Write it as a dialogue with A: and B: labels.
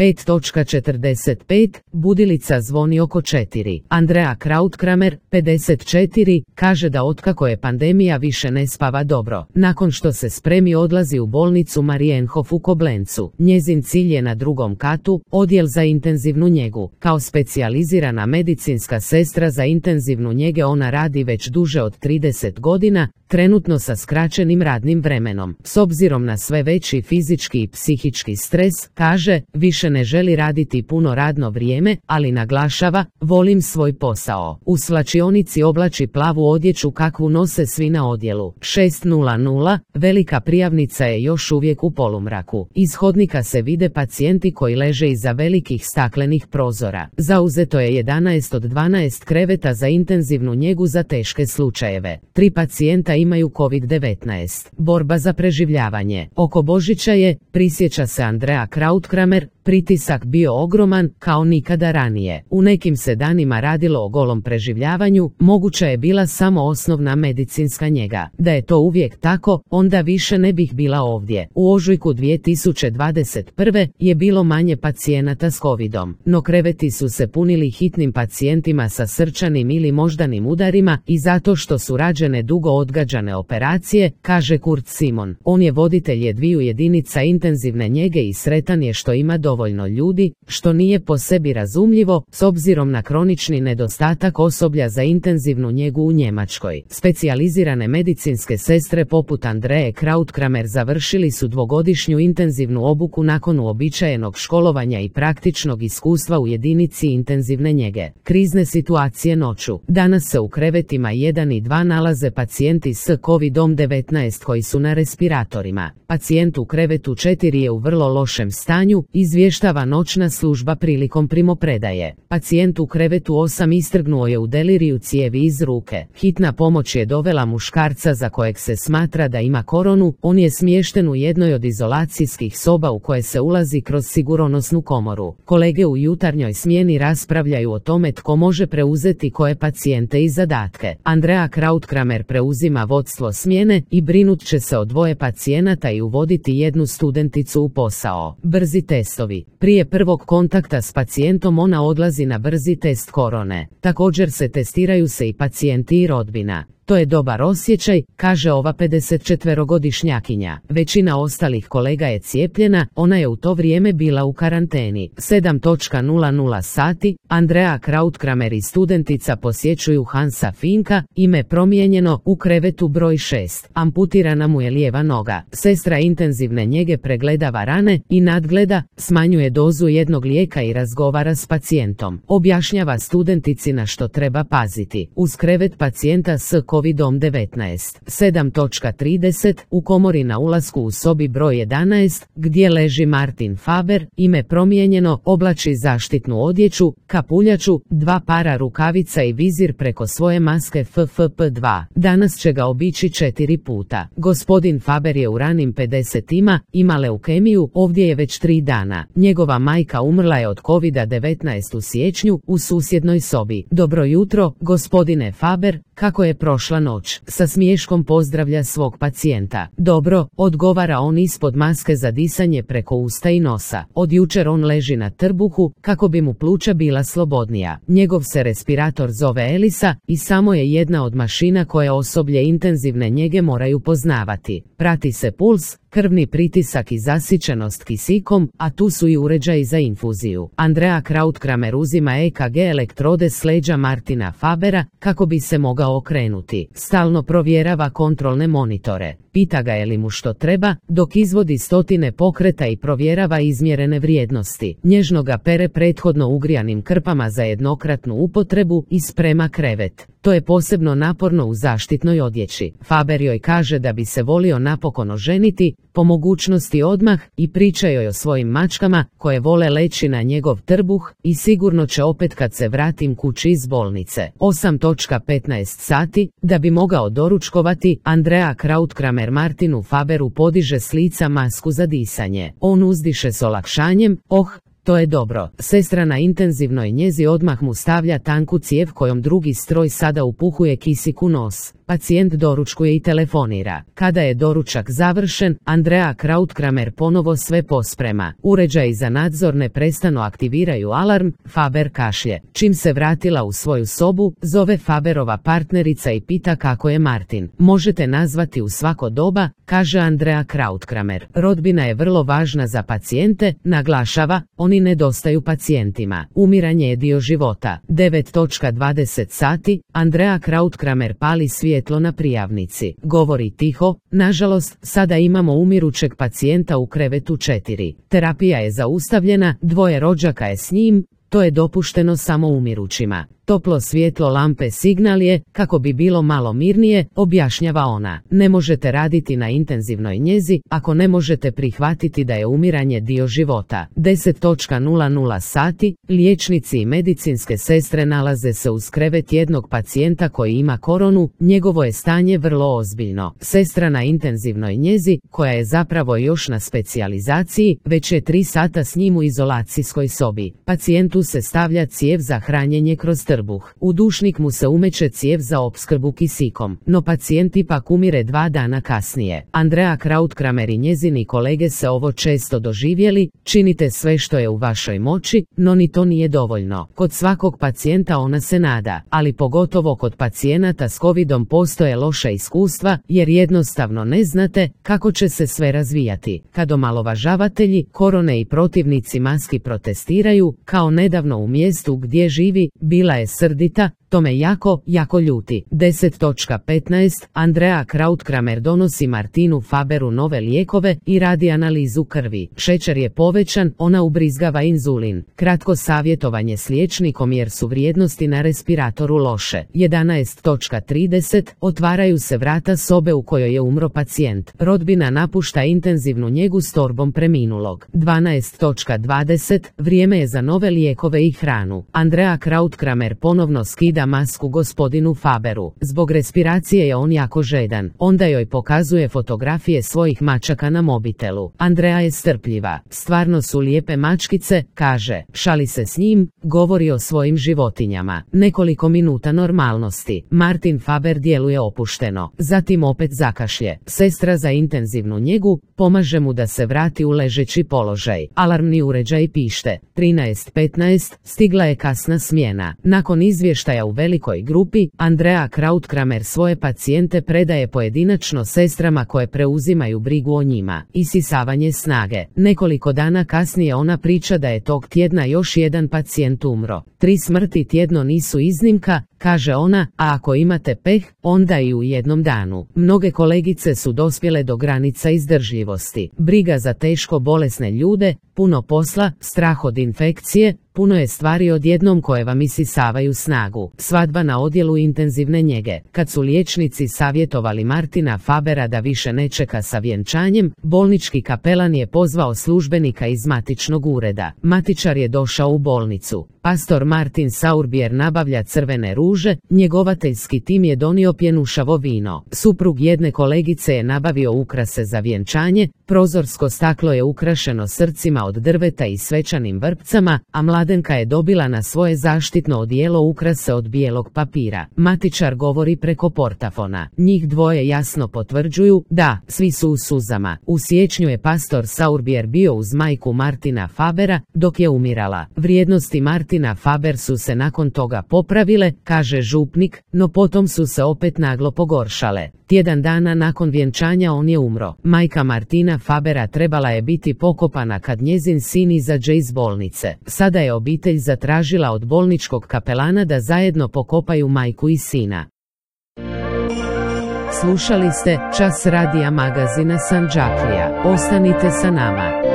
A: 5.45, budilica zvoni oko 4. Andrea Krautkramer, 54, kaže da otkako je pandemija više ne spava dobro. Nakon što se spremi odlazi u bolnicu Marienhof u Koblencu. Njezin cilj je na drugom katu, odjel za intenzivnu njegu. Kao specijalizirana medicinska sestra za intenzivnu njege ona radi već duže od 30 godina, trenutno sa skraćenim radnim vremenom. S obzirom na sve veći fizički i psihički stres, kaže, više ne želi raditi puno radno vrijeme, ali naglašava, volim svoj posao. U svlačionici oblači plavu odjeću kakvu nose svi na odjelu. 6:00, velika prijavnica je još uvijek u polumraku. Iz hodnika se vide pacijenti koji leže iza velikih staklenih prozora. Zauzeto je 11 od 12 kreveta za intenzivnu njegu za teške slučajeve. 3 pacijenta imaju COVID-19. Borba za preživljavanje. Oko Božića je, prisjeća se Andrea Krautkramer, pritisak bio ogroman kao nikada ranije. U nekim se danima radilo o golom preživljavanju, moguća je bila samo osnovna medicinska njega. Da je to uvijek tako, onda više ne bih bila ovdje. U ožujku 2021. je bilo manje pacijenata s covidom, no kreveti su se punili hitnim pacijentima sa srčanim ili moždanim udarima i zato što su rađene dugo odgađane operacije, kaže Kurt Simon. On je voditelj dviju jedinica intenzivne njege i sretan je što ima dovoljno ljudi, što nije po sebi razumljivo, s obzirom na kronični nedostatak osoblja za intenzivnu njegu u Njemačkoj. Specijalizirane medicinske sestre poput Andreje Krautkramer završili su dvogodišnju intenzivnu obuku nakon uobičajenog školovanja i praktičnog iskustva u jedinici intenzivne njege. Krizne situacije noću. Danas se u krevetima 1 i 2 nalaze pacijenti s COVID-19 koji su na respiratorima. Pacijent u krevetu 4 je u vrlo lošem stanju, izvještava noćna služba prilikom primopredaje. Pacijent u krevetu 8 istrgnuo je u deliriju cijevi iz ruke. Hitna pomoć je dovela muškarca za kojeg se smatra da ima koronu, on je smješten u jednoj od izolacijskih soba u koje se ulazi kroz sigurnosnu komoru. Kolege u jutarnjoj smjeni raspravljaju o tome tko može preuzeti koje pacijente i zadatke. Andrea Krautkramer preuzima vodstvo smjene i brinut će se o 2 pacijenata i uvoditi 1 studenticu u posao. Brzi testovi. Prije prvog kontakta s pacijentom ona odlazi na brzi test korone. Također se testiraju se i pacijenti i rodbina. To je dobar osjećaj, kaže ova 54-godišnjakinja. Većina ostalih kolega je cijepljena, ona je u to vrijeme bila u karanteni. 7:00 sati, Andrea Krautkramer i studentica posjećuju Hansa Finka, ime promijenjeno, u krevetu broj 6. Amputirana mu je lijeva noga. Sestra intenzivne njege pregledava rane i nadgleda, smanjuje dozu jednog lijeka i razgovara s pacijentom. Objašnjava studentici na što treba paziti. Uz krevet pacijenta s COVID-19. 7:30, u komori na ulasku u sobi broj 11, gdje leži Martin Faber, ime promijenjeno, oblači zaštitnu odjeću, kapuljaču, 2 para rukavica i vizir preko svoje maske FFP2. Danas će ga obići 4 puta. Gospodin Faber je u ranim 50-ima, ima leukemiju, ovdje je već 3 dana. Njegova majka umrla je od COVID-19 u siječnju, u susjednoj sobi. Dobro jutro, gospodine Faber, kako je prošla noć? Sa smiješkom pozdravlja svog pacijenta. Dobro, odgovara on ispod maske za disanje preko usta i nosa. Od jučer on leži na trbuhu, kako bi mu pluća bila slobodnija. Njegov se respirator zove Elisa i samo je jedna od mašina koje osoblje intenzivne njege moraju poznavati. Prati se puls, krvni pritisak i zasićenost kisikom, a tu su i uređaji za infuziju. Andrea Krautkramer uzima EKG elektrode s leđa Martina Fabera, kako bi se mogao okrenuti. Stalno provjerava kontrolne monitore. Pita ga je li mu što treba, dok izvodi stotine pokreta i provjerava izmjerene vrijednosti. Nježno ga pere prethodno ugrijanim krpama za jednokratnu upotrebu i sprema krevet. To je posebno naporno u zaštitnoj odjeći. Faber joj kaže da bi se volio napokon oženiti, po mogućnosti odmah, i priča joj o svojim mačkama koje vole leći na njegov trbuh i sigurno će opet kad se vratim kući iz bolnice. 8:15 sati, da bi mogao doručkovati, Andrea Krautkramer Martinu Faberu podiže s lica masku za disanje. On uzdiše s olakšanjem, to je dobro. Sestra na intenzivnoj njezi odmah mu stavlja tanku cijev kojom drugi stroj sada upuhuje kisik u nos. Pacijent doručkuje i telefonira. Kada je doručak završen, Andrea Krautkramer ponovo sve posprema. Uređaji za nadzor neprestano aktiviraju alarm, Faber kašlje. Čim se vratila u svoju sobu, zove Faberova partnerica i pita kako je Martin. Možete nazvati u svako doba, kaže Andrea Krautkramer. Rodbina je vrlo važna za pacijente, naglašava, oni nedostaju pacijentima. Umiranje je dio života. 9:20 sati, Andrea Krautkramer pali svjetlo na prijavnici. Govori tiho, nažalost, sada imamo umirućeg pacijenta u krevetu 4. Terapija je zaustavljena, 2 rođaka je s njim, to je dopušteno samo umirućima. Toplo svjetlo lampe signal je, kako bi bilo malo mirnije, objašnjava ona. Ne možete raditi na intenzivnoj njezi, ako ne možete prihvatiti da je umiranje dio života. 10:00 sati, liječnici i medicinske sestre nalaze se uz krevet jednog pacijenta koji ima koronu, njegovo je stanje vrlo ozbiljno. Sestra na intenzivnoj njezi, koja je zapravo još na specijalizaciji, već je 3 sata s njim u izolacijskoj sobi. Pacijentu se stavlja cijev za hranjenje kroz trbuh. U dušnik mu se umeće cijev za opskrbu kisikom, no pacijent ipak umire 2 dana kasnije. Andrea Krautkramer i njezini kolege se ovo često doživjeli, činite sve što je u vašoj moći, no ni to nije dovoljno. Kod svakog pacijenta ona se nada, ali pogotovo kod pacijenata s covidom postoje loša iskustva, jer jednostavno ne znate kako će se sve razvijati. Kad omalovažavatelji korone i protivnici maski protestiraju, kao nedavno u mjestu gdje živi, bila je srdita, to me jako ljuti. 10:15 Andrea Krautkramer donosi Martinu Faberu nove lijekove i radi analizu krvi. Šećer je povećan, ona ubrizgava inzulin. Kratko savjetovanje s liječnikom jer su vrijednosti na respiratoru loše. 11:30 otvaraju se vrata sobe u kojoj je umro pacijent. Rodbina napušta intenzivnu njegu s torbom preminulog. 12:20 vrijeme je za nove lijekove i hranu. Andrea Krautkramer ponovno skida masku gospodinu Faberu. Zbog respiracije je on jako žedan. Onda joj pokazuje fotografije svojih mačaka na mobitelu. Andrea je strpljiva. Stvarno su lijepe mačkice, kaže. Šali se s njim, govori o svojim životinjama. Nekoliko minuta normalnosti. Martin Faber djeluje opušteno. Zatim opet zakašlje. Sestra za intenzivnu njegu pomaže mu da se vrati u ležeći položaj. Alarmni uređaj pište. 13:15 stigla je kasna smjena. Nakon izvještaja u velikoj grupi, Andrea Krautkramer svoje pacijente predaje pojedinačno sestrama koje preuzimaju brigu o njima. Isisavanje snage. Nekoliko dana kasnije ona priča da je tog tjedna još jedan pacijent umro. 3 smrti tjedno nisu iznimka, kaže ona, a ako imate peh, onda i u jednom danu. Mnoge kolegice su dospjele do granica izdržljivosti. Briga za teško bolesne ljude, puno posla, strah od infekcije, puno je stvari odjednom koje vam isisavaju snagu. Svadba na odjelu intenzivne njege. Kad su liječnici savjetovali Martina Fabera da više ne čeka sa vjenčanjem, bolnički kapelan je pozvao službenika iz matičnog ureda. Matičar je došao u bolnicu. Pastor Martin Sauerbier nabavlja crvene ruže, njegovateljski tim je donio pjenušavo vino. Suprug jedne kolegice je nabavio ukrase za vjenčanje, prozorsko staklo je ukrašeno srcima od drveta i svečanim vrpcama, a mladenka je dobila na svoje zaštitno odijelo ukrase od bijelog papira. Matičar govori preko portafona. Njih dvoje jasno potvrđuju, da, svi su u suzama. U siječnju je pastor Sauerbier bio uz majku Martina Fabera, dok je umirala. Vrijednosti Martina Faber su se nakon toga popravile, kaže župnik, no potom su se opet naglo pogoršale. Tjedan dana nakon vjenčanja on je umro. Majka Martina Fabera trebala je biti pokopana kad njezin sin izađe iz bolnice. Sada je obitelj zatražila od bolničkog kapelana da zajedno pokopaju majku i sina. Slušali ste Čas radija magazina Sandžaklija. Ostanite sa nama.